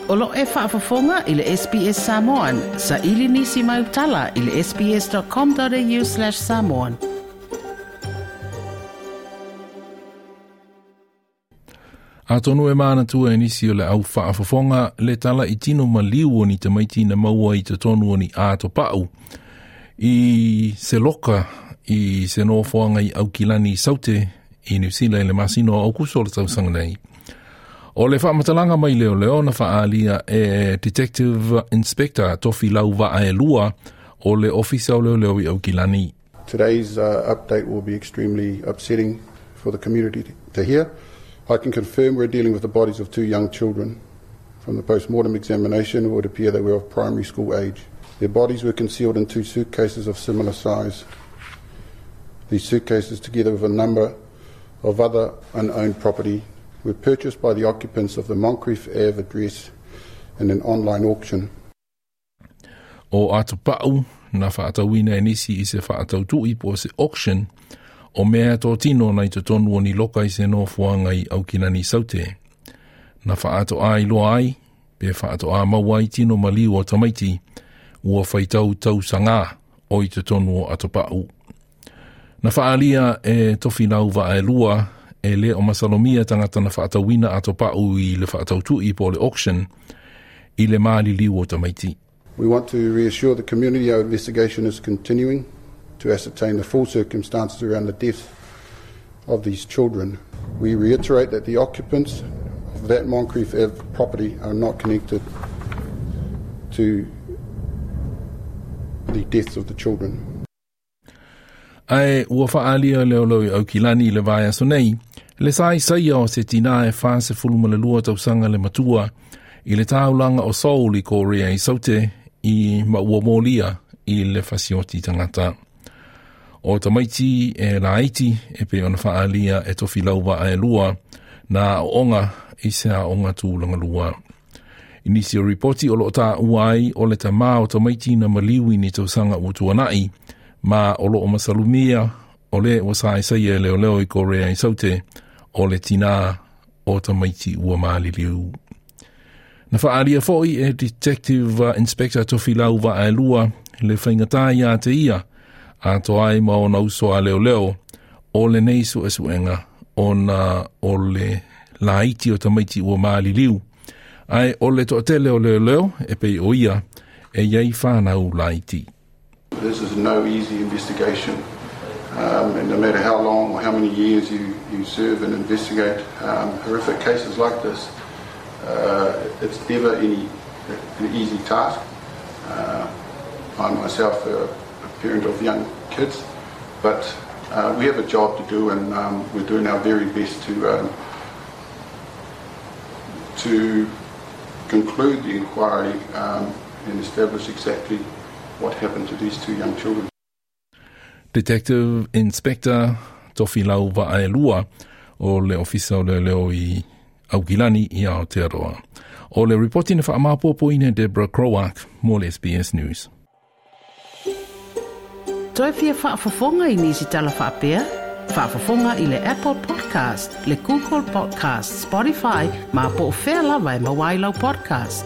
O lo e faafofoga i le SBS Samoan. Saili nisi mai utala i le sbs.com.au/samoan. Atonu e manatua e nisi o le au faafofoga le tala i tino maliu o ni tamaiti na maua i totonu o ni ato pau i se loka i se nofoaga i Aukilani i Saute i Niu Sila i le masina o Aukuso o le tausaga nei. O le faamatalaga mai leoleo na faaalia e Detective Inspector Tofi Lauvaelua o le Ofisa o Leoleo i Aukilani. Today's update will be extremely upsetting for the community to hear. I can confirm we're dealing with the bodies of two young children. From the post-mortem examination, it would appear they were of primary school age. Their bodies were concealed in two suitcases of similar size. These suitcases, together with a number of other unowned property, were purchased by the occupants of the Moncrief Ave address in an online auction. O Atopau na faatauina e nisi i se faatautui po o se auction o mea tōtino na i totonu o ni loka i se nofoaga i Aukilani Saute. Na faatoa iloa ai, pe faatoa maua ai tino maliu o tamaiti, ua faitau tausagā o i totonu o Atopau. Na faalia e Tofilau Vaelua e le o masalomia tagata na faatauina atopau i le faatautui po o le auction i le maliliu o tamaiti. We want to reassure the community our investigation is continuing to ascertain the full circumstances around the death of these children. We reiterate that the occupants of that Moncrief Ave property are not connected to the deaths of the children. Ae ua faaalia leoleo i Aukilani i le vaiaso nei, le saisaia o se tinā e 42 tausaga le matua i le taulaga o Seoul i Korea i Saute i ma ua molia i le fasioti tagata. O tamaiti e laiti e pei ona faaalia e Tofilau Vaelua na aooga i se aoga tulaga lua. I nisi o ripoti o lo o taua ai o le tamā o tamaiti na maliu i ni tausaga ua tuanai ma o lo o masalomia o le ua saisaia e leoleo i Korea i Saute o le tinā o tamaiti ua maliliu. Na faaalia foi e Detective Inspector Tofilau Vaelua le faigata ia te ia atoa ai ma ona uso a leoleo o lenei suesuega ona o le laiti o tamaiti ua maliliu. Ae o le toatele o leoleo e pei o ia e iai fanau laiti. This is no easy investigation. And no matter how long or how many years you serve and investigate horrific cases like this, it's never an easy task. I'm myself a parent of young kids, but we have a job to do, and we're doing our very best to conclude the inquiry and establish exactly what happened to these two young children. Detective Inspector Tofilau Vaelua o le Ofisa o Leoleo i Aukilani i Aotearoa. O le ripoti na faamapopoina e Deborah Croark mo le SBS News. Toe fia faafofoga i nisi tala faapea? Faafofoga i le Apple Podcast, le Google Podcast, Spotify, ma po o fea lava e maua ai lau podcast.